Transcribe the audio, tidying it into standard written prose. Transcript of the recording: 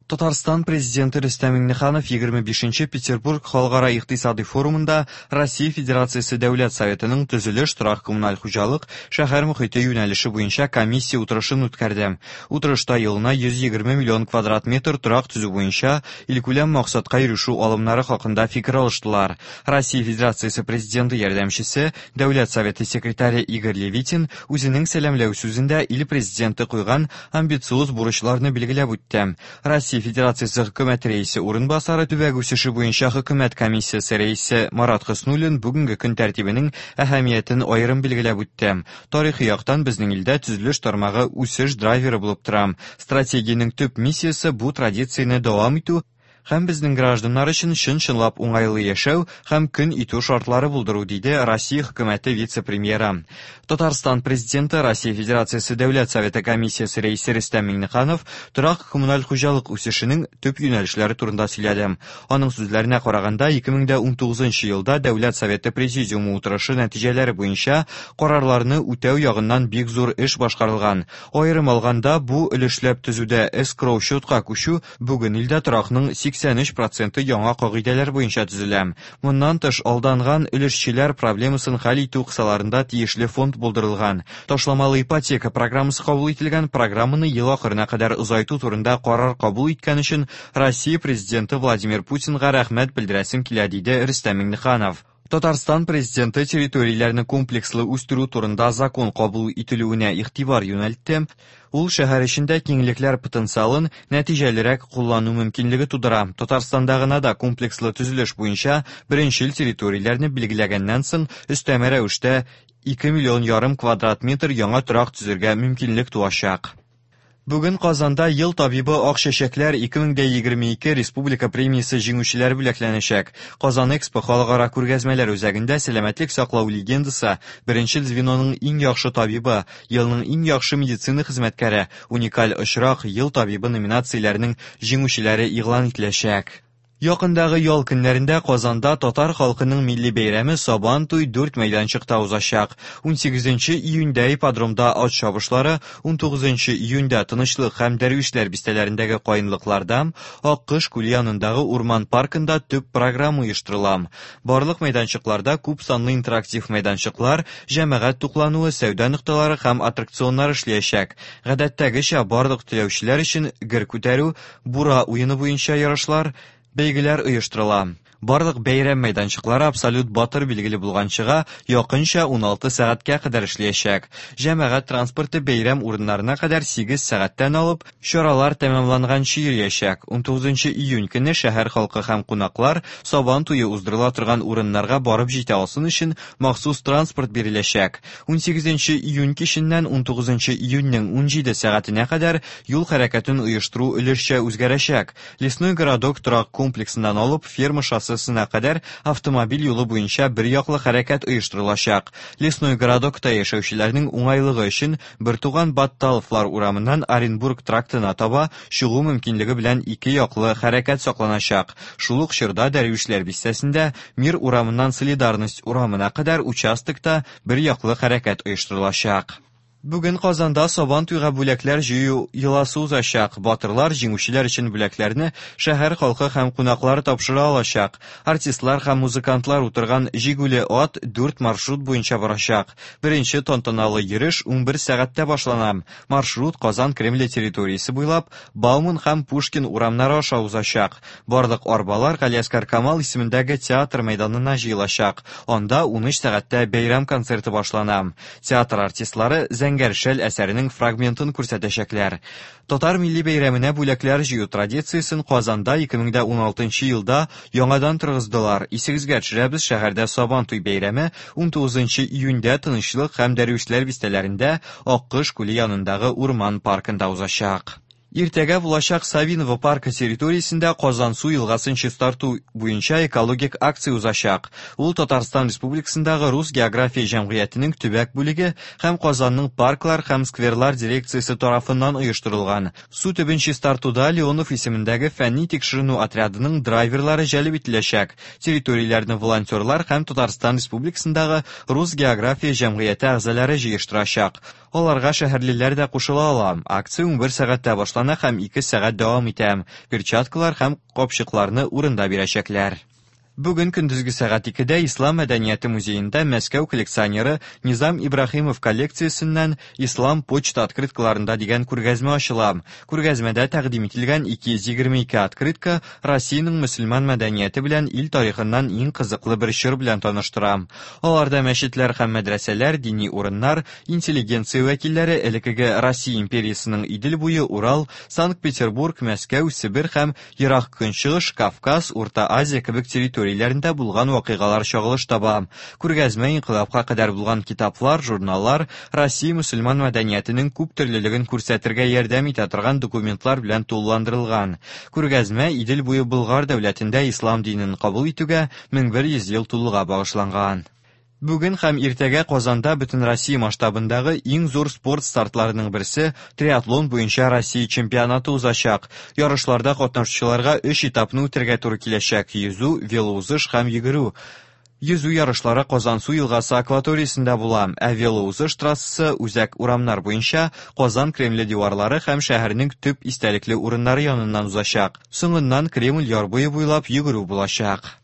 Татарстан Президенты Рөстәм Миңнеханов 25 Петербург халыкара икътисадый форумында Россия Федерациясе Дәүләт Советының төзелеш, торак-коммуналь хуҗалык, шәһәр мохите юнәлеше буенча комиссия утырышын үткәрде. Утырышта елына 120 миллион квадрат метр торак төзү буенча илкүләм максатка ирешү алымнары хакында фикер алыштылар. Россия Федерациясе Президенты ярдәмчесе, Дәүләт Советы секретаре Игорь Левитин үзенең сәламләү сүзендә ил Президенты куйган амбициоз бурычларны билгеләп үтте. Россия Федерациясе Хөкүмәт Рәисе урынбасары, төбәк үсеше буенча Хөкүмәт комиссиясе рәисе Марат Хөснуллин бүгенге көн тәртибенең әһәмиятен аерым билгеләп үтте. Тарихи яктан безнең илдә төзелеш тармагы үсеш драйверы булып тора. Стратегиянең төп миссиясе бу традицияне дәвам итү һәм безнең гражданнар өчен чын-чынлап уңайлы яшәү һәм көн итү шартлары булдыру, диде Россия Хөкүмәте вице-премьеры. Татарстан Президенты, Россия Федерациясе Дәүләт Советы комиссиясе рәисе Рөстәм Миңнеханов торак-коммуналь хуҗалык үсешенең төп юнәлешләре турында сөйләде. Аның сүзләренә караганда, 2019 елда Дәүләт Советы Президиумы утырышы нәтиҗәләре буенча карарларны үтәү ягыннан бик зур эш башкарылган. Аерым алганда, бу өлешләп төзүдә эскроу-счетка күчү бүген илдә торакның 83 проценты яңа кагыйдәләр буенча төзелә. Моннан тыш, алданган өлешчеләр проблемасын хәл итү кысаларында тиешле фонд булдырылган. Ташламалы ипотека программасы кабул ителгән, программаны ел ахырына кадәр озайту турында карар кабул иткән өчен Россия Президенты Владимир Путинга рәхмәт белдерәсем килә, диде Рөстәм Миңнеханов. Татарстан Президенты территорияләрне комплекслы үстерү турында закон кабул ителүенә игътибар юнәлтте. Ул шәһәр эчендә киңлекләр потенциалын нәтиҗәлерәк куллану мөмкинлеге тудыра. Татарстанда гына да комплекслы төзелеш буенча беренчел территорияләрне билгеләгәннән соң өстәмә рәвештә 2 миллион ярым квадрат метр яңа торак төзергә мөмкинлек туачак. Бүген Казанда Ел табибы Ак чәчәкләр 2022 республика премиясе җиңүчеләре бүләкләнәчәк. Казан Экспо халыкара күргәзмәләр үзәгендә сәламәтлек саклау легендасы, беренчел звеноның иң яхшы табибы, елның иң яхшы медицина хезмәткәре, уникаль очрак, ел табибы номинацияләренең җиңүчеләре игълан ителәчәк. Якындагы ял көннәрендә Казанда татар халкының милли бәйрәме Сабан туй дүрт мәйданчыкта узачак. 18 июньдә ипподромда ат чабышлары, 19 июньдә Тынычлык һәм Дәрвишләр бистәләрендәге каенлыкларда, Аккош күле янындагы урман паркында төп программа оештырыла. Барлык мәйданчыкларда күп санлы интерактив мәйданчыклар, җәмәгать туклануы, сәүдә нокталары һәм аттракционнар эшләячәк. Гадәттәгечә, барлык теләүчеләр өчен гер күтәрү, бура уены буенча ярышлар, бәйгеләр оештырыла. Барлык бәйрәм мәйданчыклары абсолют батыр билгеле булганчыга якынча 16 сәгатькә кадәр эшләячәк. Җәмәгать транспорты бәйрәм урыннарына кадәр 8 сәгатьтән алып, чаралар тәмамланганчы йөриячәк. 19 июнь көне шәһәр халкы һәм кунаклар Сабан туе уздырыла торган урыннарга барып җитә алсын өчен махсус транспорт биреләчәк. 18 июнь киченнән 19 июньнең 17 сәгатенә кадәр юл хәрәкәтен оештыру өлешчә үзгәрәчәк. Лесной городок торак комплексыннан алып Ферма шоссесына кадәр автомобиль юлы буенча бер яклы хәрәкәт оештырылачак. Лесной городокта яшәүчеләрнең уңайлыгы өчен Бертуган Батталовлар урамыннан Оренбург трактына таба чыгу мөмкинлеге белән ике яклы хәрәкәт сакланачак. Шул ук чорда Дәрвишләр бистәсендә Мир урамыннан Солидарность урамына кадәр участокта бер яклы хәрәкәт оештырылачак. Бүген Казанда Сабан туйга бүләкләр җыю йоласы узачак. Батырлар, җиңүчеләр өчен бүләкләрне шәһәр халкы һәм кунаклары тапшыра алачак. Артистлар һәм музыкантлар утырган җигүле ат дүрт маршрут буенча барачак. Беренче тантаналы йөреш 11 сәгатьтә башлана. Маршрут Казан Кремле территориясе буйлап Бауман һәм Пушкин урамнары аша узачак. Барлык арбалар Галиәсгар Камал исемендәге театр мәйданына җыелачак. Анда 13 сәгатьтә бәйрәм концерты башлана. Театр артистлары Зәңгәр шәл әсәренең фрагментын күрсәтәчәкләр. Татар милли бәйрәменә бүләкләр җыю традициясен Казанда 2016 елда яңадан торгыздылар. Исегезгә төшерәбез, шәһәрдә Сабан туй бәйрәме 19 июньдә Тынычлык һәм Дәрвишләр бистәләрендә Аккош күле янындагы урман паркында узачак. Иртәгә булачак Савиново паркы территориясендә Казансу елгасын чистарту буенча экологик акция узачак. Ул Татарстан Республикасындагы Рус география җәмгыятенең төбәк бүлеге һәм Казанның парклар һәм скверлар дирекциясе тарафыннан оештырылган. Су төбен чистартуда Леонов исемендәге фәнни тикшеренү отрядының драйверлары җәлеп ителәчәк. Территорияләрне волонтерлар һәм Татарстан Республикасындагы Рус география җәмгыяте әгъзалары җыештырачак. Аларга шәһәрлеләр дә кушыла ала. Акция 11 сәгатьтә башлана. башлана һәм 2 сәгать дәвам итә. Перчаткалар һәм капчыкларны урында бирәчәкләр. Бүген көндезге сәгать 2-дә Ислам мәдәнияте музеенда Мәскәү коллекционеры Низам Ибраһимов коллекциясеннән Ислам почта открыткаларында дигән күргәзмә ачыла. Күргәзмәдә тәкъдим ителгән 222 открытка Россиянең мөселман мәдәнияте белән ил тарихыннан иң кызыклы бер чор белән таныштыра. Аларда мәчетләр һәм мәдрәсәләр, дини урыннар, интеллигенция вәкилләре элеккеге Россия империясының Идел буе, Урал, Санкт-Петербург, Мәскәү, Себер һәм Ерак Көнчыгыш, Кавказ, Урта Азия кебек территорияләрендә булган вакыйгалар чагылыш таба. Күргәзмә инкыйлабка кадәр булган китаплар, журналлар, Россия мөселман мәдәниятенең күп төрлелеген күрсәтергә ярдәм итә торган документлар белән тулыландырылган. Күргәзмә Идел буе Болгар дәүләтендә ислам динен кабул итүгә 1100 ел тулуга багышланган. Бүген һәм иртәгә Казанда Бөтенроссия масштабындагы иң зур спорт стартларының берсе триатлон буенча Россия чемпионаты узачак. Ярышларда катнашучыларга өч этапны үтәргә туры киләчәк: йөзү, велоузыш һәм йөгерү. Йөзү ярышлары Казансу елгасы акваториясендә була, ә велоузыш трассасы үзәк урамнар буенча Казан Кремле диварлары һәм шәһәрнең төп истәлекле урыннары яныннан узачак. Соңыннан Кремль яр буе буйлап йөгерү булачак.